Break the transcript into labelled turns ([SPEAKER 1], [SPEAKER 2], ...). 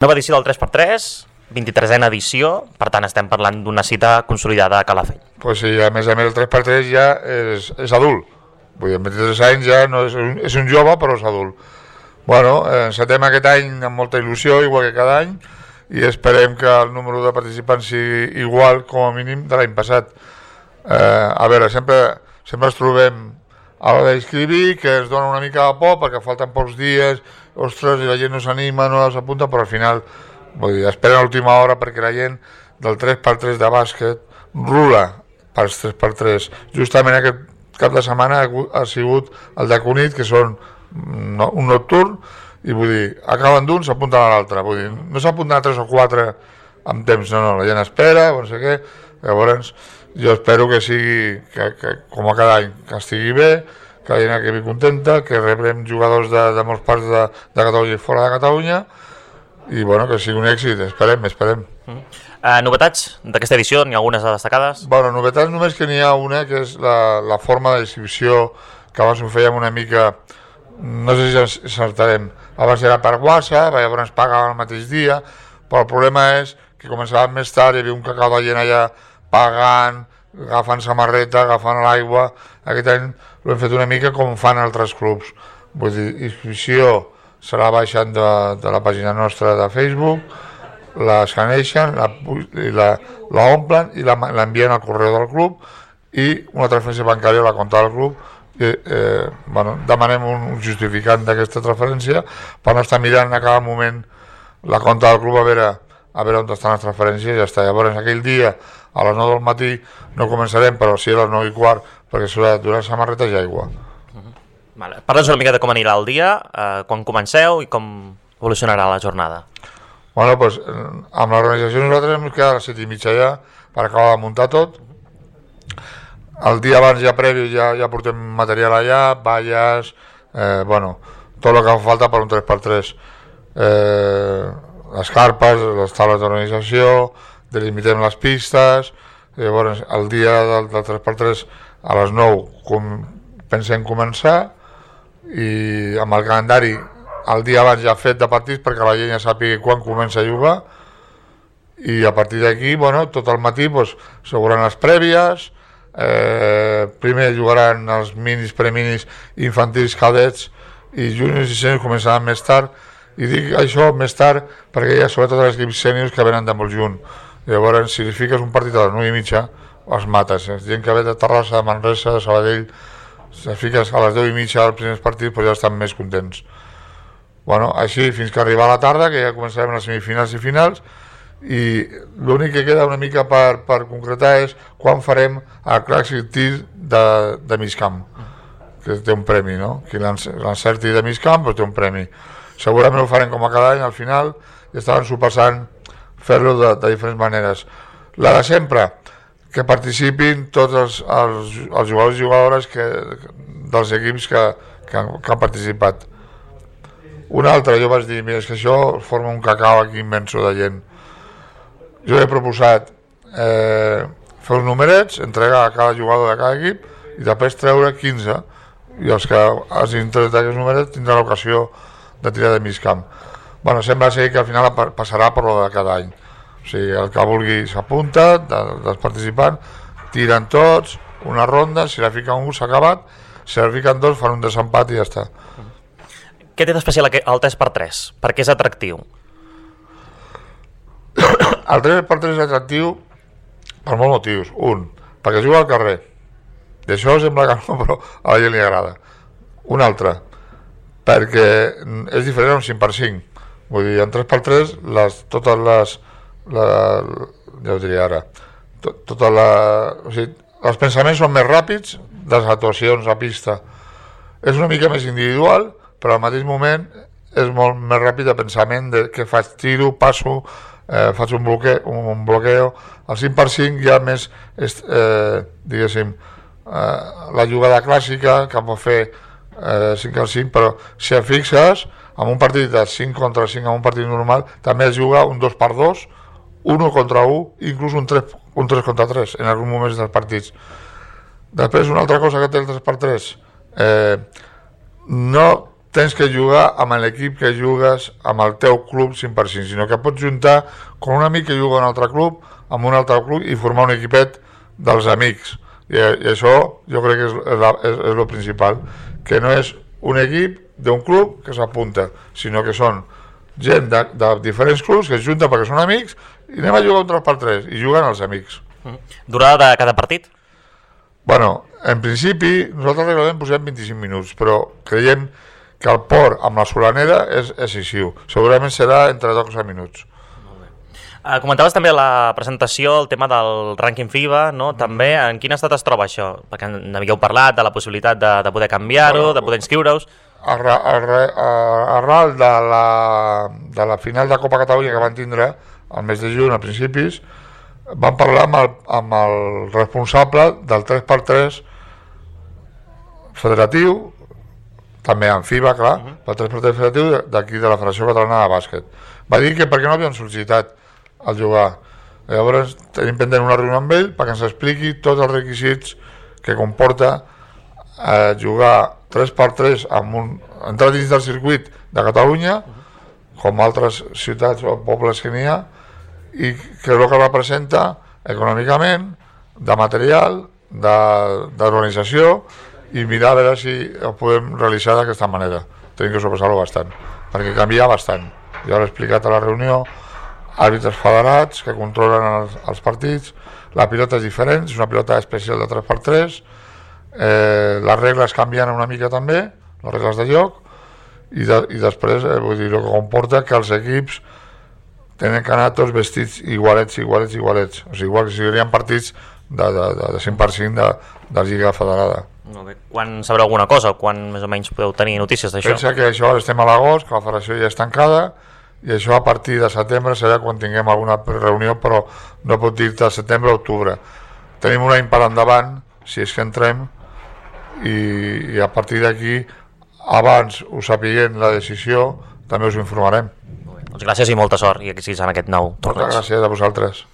[SPEAKER 1] Nova edició del 3x3, 23a edició, per tant estem parlant d'una cita consolidada a Calafell.
[SPEAKER 2] Pues sí, a més el 3x3 ja és adult. Vull dir, amb 23 anys ja no és un jove, però és adult. Bueno, encetem aquest any amb molta il·lusió, igual que cada any, i esperem que el número de participants sigui igual, com a mínim, de l'any passat. A veure, sempre ens trobem a l'hora d'inscriure, que ens dona una mica de por, perquè falten pocs dies, ostres, i la gent no s'anima, no s'apunta, però al final, vull dir, esperen a l'última hora perquè la gent del 3x3 de bàsquet rula pels 3x3. Justament aquest cap de setmana ha sigut el de Cunit, que són un nocturn, i vull dir, acaben d'un, s'apunten a l'altre. Vull dir, no s'apunten a 3 o 4 amb temps, no, la gent espera, no sé què. Llavors, jo espero que sigui, que com a cada any, que estigui bé, que la gent acabi contenta, que rebrem jugadors de molts parts de Catalunya i fora de Catalunya, i bueno, que sigui un èxit, esperem.
[SPEAKER 1] Novetats d'aquesta edició, n'hi ha algunes destacades?
[SPEAKER 2] Bueno, novetats només que n'hi ha una, que és la forma de distribució, que abans ho fèiem una mica, no sé si encertarem, abans era per WhatsApp, llavors ens pagaven el mateix dia, però el problema és que començàvem més tard, hi havia un cacau de gent allà pagant, agafant samarreta, agafant l'aigua. Aquest any l'hem fet una mica com fan altres clubs. Vull dir, inscripció serà baixant de la pàgina nostra de Facebook, l'escaneixen, l'omplen i l'envien al correu del club i una transferència bancària a la compta del club. Demanem un justificant d'aquesta transferència per no estar mirant a cada moment la compta del club a veure on estan les transferències i ja està. Llavors aquell dia a les 9 del matí no començarem, però sí a les 9 i quart, perquè s'haurà de donar samarretes i aigua.
[SPEAKER 1] Parla'ns una mica de com anirà el dia, quan comenceu i com evolucionarà la jornada.
[SPEAKER 2] Bueno, doncs amb l'organització nosaltres hem quedat a les 7:30 ja per acabar de muntar tot. El dia abans ja previ ja portem material allà, valles, tot el que fa falta per un 3x3. Les carpes, les taules d'organització, delimitem les pistes. Llavors el dia del 3x3 a les 9 pensem començar, i amb el calendari el dia abans ja fet de partits perquè la gent ja sàpiga quan comença a jugar, i a partir d'aquí tot el matí s'hauran les prèvies. Primer jugaran els minis, preminis, infantils, cadets i juniors i sèniors començaran més tard, i dic això més tard perquè hi ha sobretot els equips sèniors que venen de molt junt. Llavors, si li fiques un partit a les 9:30 els mates. Gent que ve de Terrassa, de Manresa, de Sabadell, si fiques a les 10:30 els primers partits ja estan més contents. Així fins que arriba a la tarda, que ja començarem les semifinals i finals, i l'únic que queda una mica per concretar és quan farem el Clàssic Tir de mig camp, que té un premi, no? Qui l'encerti de mig camp té un premi. Segurament ho farem com a cada any al final, i estaven sopassant fer-lo de diferents maneres. La de sempre, que participin tots els jugadors i jugadores dels equips que han participat. Una altra, jo vaig dir, mira, és que això forma un cacau aquí immenso de gent. Jo he proposat fer uns numerets, entregar a cada jugador de cada equip i després treure 15, i els que hagin tret aquests numerets tindran l'ocasió de tirar de mig camp. Sembla ser que al final passarà per lo de cada any. O sigui, el que vulgui s'apunta, dels participants, tiren tots, una ronda, si la fica un s'ha acabat, si la fiquen dos fan un desempat i ja està.
[SPEAKER 1] Què té d'especial el 3x3? Per què és atractiu?
[SPEAKER 2] El 3x3 és atractiu per molts motius. Un, perquè juga al carrer. D'això sembla que no, però a la gent li agrada. Un altre, perquè és diferent a un 5x5. Vull dir, en 3x3 totes les ja ho diria ara, o sigui, els pensaments són més ràpids de les actuacions a pista. És una mica més individual, però al mateix moment és molt més ràpid de pensament de què faig, tiro, passo, faig un bloqueo. El 5x5 ja més diguéssim la jugada clàssica que pot fer 5x5, però si et fixes en un partit de 5 contra 5, en un partit normal també es juga un 2x2, 1 contra 1, inclús un 3 contra 3 en alguns moments dels partits. Després, una altra cosa que té el 3x3, no tens que jugar amb l'equip que jugues amb el teu club 100%, sinó que pots juntar com un amic que juga a un altre club amb un altre club i formar un equipet dels amics. I això jo crec que és el principal, que no és un equip d'un club que s'apunta, sinó que són gent de diferents clubs que es junten perquè són amics i anem a jugar un 3x3 i juguen els amics.
[SPEAKER 1] Durada de cada partit?
[SPEAKER 2] Bueno, en principi nosaltres reglament posem 25 minuts, però creiem que el port amb la solanera és excessiu. Segurament serà entre 12 minuts.
[SPEAKER 1] Comentaves també a la presentació el tema del rànquing FIBA, no? També, en quin estat es troba això? Perquè n'havíeu parlat de la possibilitat de poder canviar-ho, de poder inscriure-us.
[SPEAKER 2] Arral de la final de Copa Catalunya que van tindre al mes de juny, a principis, vam parlar amb el responsable del 3x3 federatiu, també en FIBA, clar, el 3x3 federatiu d'aquí de la Federació Catalana de Bàsquet. Va dir que per què no havien sol·licitat al jugar. Llavors tenim pendent una reunió amb ell perquè ens expliqui tots els requisits que comporta jugar 3x3 entrar dins del circuit de Catalunya, com altres ciutats o pobles que n'hi ha, i que és el que representa econòmicament, de material, d'organització, i mirar a veure si ho podem realitzar d'aquesta manera. Tenim que sobressar-lo bastant, perquè canvia bastant. Jo l'he explicat a la reunió, àrbitres federats que controlen els partits, la pilota és diferent, és una pilota especial de 3x3, les regles canvien una mica també, les regles de joc, i després vull dir, el que comporta que els equips tenen que anar tots vestits igualets, o sigui, igual que si serien partits de 100% de Lliga Federada.
[SPEAKER 1] Quan sabreu alguna cosa, quan més o menys podeu tenir notícies d'això?
[SPEAKER 2] Pensa que això ara estem a l'agost, que la federació ja és tancada, i això a partir de setembre serà quan tinguem alguna reunió, però no pot dir-te setembre o octubre. Tenim un any per endavant, si és que entrem, i a partir d'aquí, abans ho sapiguem la decisió, també us informarem.
[SPEAKER 1] Doncs gràcies i molta sort, i que siguis en aquest nou torneig.
[SPEAKER 2] Moltes gràcies a vosaltres.